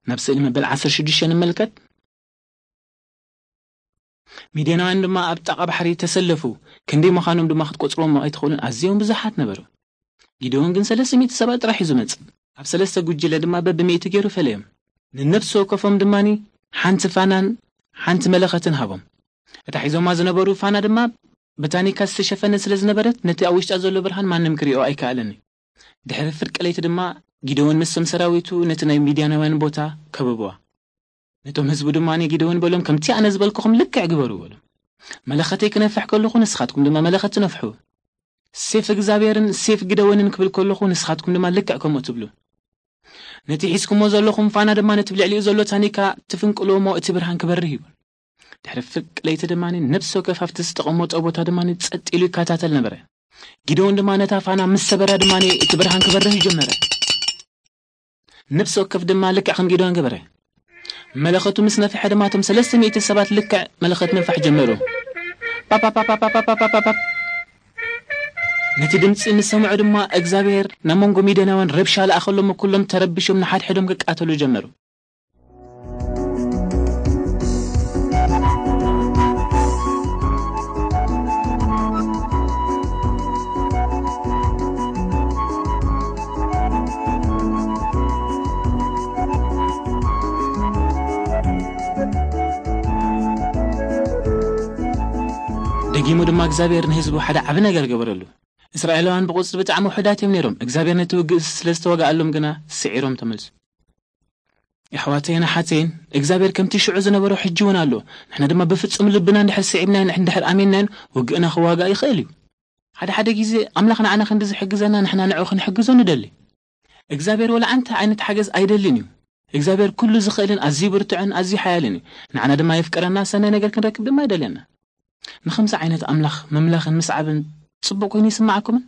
ናብ ስእሊ መበል ዓሰርተ ሽዱሽተ ንመልከት። ሚድያናውያን ድማ ኣብ ጥቓ ባሕሪ ተሰለፉ። ክንደይ ምዃኖም ድማ ክትቆጽርዎም ኣይትኽእሉን፣ ኣዝዮም ብዙሓት ነበሩ። ጊደዎን ግን ሰለስተ ሚእቲ ሰባት ጥራሕ እዩ ዝመጽእ። ኣብ ሰለስተ ጉጅለ ድማ በብሚእቲ ገይሩ ፈለዮም። ንነፍሲ ወከፎም ድማ ሓንቲ ፋናን ሓንቲ መለኸትን ሃቦም። እታ ሒዞማ ዝነበሩ ፋና ድማ ብታኒካ ዝተሸፈነ ስለ ዝነበረት፣ ነቲ ኣብ ውሽጣ ዘሎ ብርሃን ማንም ክሪኦ ኣይከኣለን እዩ። ድሕሪ ፍርቂ ለይቲ ድማ ጊደዎን ምስቶም ሰራዊቱ ነቲ ናይ ሚድያናውያን ቦታ ከበብዋ። ነቶም ህዝቡ ድማ ንጊደዎን በሎም፣ ከምቲ ኣነ ዝበልኩኹም ልክዕ ግበሩ በሎም። መለኸተይ ክነፍሕ ከለኹ ንስኻትኩም ድማ መለኸት ትነፍሑ። ሴፍ እግዚኣብሔርን ሴፍ ግደወንን ክብል ከለኹ ንስኻትኩም ድማ ልክዕ ከምኡ ትብሉ። ነቲ ሒዝኩሞ ዘለኹም ፋና ድማ ነቲ ብልዕሊኡ ዘሎ ታኒካ ትፍንቅልዎ እሞ እቲ ብርሃን ክበርህ እዩ። ድሕሪ ፍርቂ ለይቲ ድማ ነፍሲ ወከፍ ኣብቲ ዝተቐመጦ ቦታ ድማ ጸጥ ኢሉ ይከታተል ነበረ። ጊደዎን ድማ ነታ ፋና ምስ ሰበራ ድማ እቲ ብርሃን ክበርህ ጀመረ። ነፍሲ ወከፍ ድማ ልክዕ ከም ጊደዎን ገበረ። መለኸቱ ምስ ነፍሐ ድማ እቶም ሰለስተ ሚእቲ ሰባት ልክዕ መለኸት ምንፋሕ ጀመሩ። ፓፓፓፓፓፓፓፓፓ። ነቲ ድምፂ ምስ ሰምዑ ድማ እግዚኣብሔር ናብ መንጎ ሚድያናውያን ረብሻ ለኣኸሎም፣ ኩሎም ተረቢሾም ንሓድሕዶም ክቃተሉ ጀመሩ። ደጊሙ ድማ እግዚኣብሔር ንህዝቡ ሓደ ዓቢ ነገር ገበረሉ። እስራኤላውያን ብቑጽሪ ብጣዕሚ ውሑዳት እዮም ነይሮም። እግዚኣብሔር ነቲ ውግእ ስለ ዝተወግኣሎም ግና ስዒሮም ተመልሱ። የሕዋተይን ኣሓተይን፣ እግዚኣብሔር ከምቲ ሽዑ ዝነበሮ ሕጂ እውን ኣሎ። ንሕና ድማ ብፍጹም ልብና እንድሕር ስዒብናዮን እንድሕር ኣሚንናዮን፣ ውግእና ክዋጋእ ይኽእል እዩ። ሓደ ሓደ ግዜ ኣምላኽ ንዓና ክንዲ ዝሕግዘና፣ ንሕና ንዕኡ ክንሕግዞ ንደሊ። እግዚኣብሔር ወላ ኣንታይ ዓይነት ሓገዝ ኣይደልን እዩ። እግዚኣብሔር ኩሉ ዝኽእልን ኣዝዩ ብርቱዕን ኣዝዩ ሓያልን እዩ። ንዓና ድማ የፍቅረና፣ ሰናይ ነገር ክንረክብ ድማ ይደልየና። ንኸምዚ ዓይነት ኣምላኽ ምምላኽን ምስዓብን ጽቡቕ ኮይኑ ይስምዓኩምን?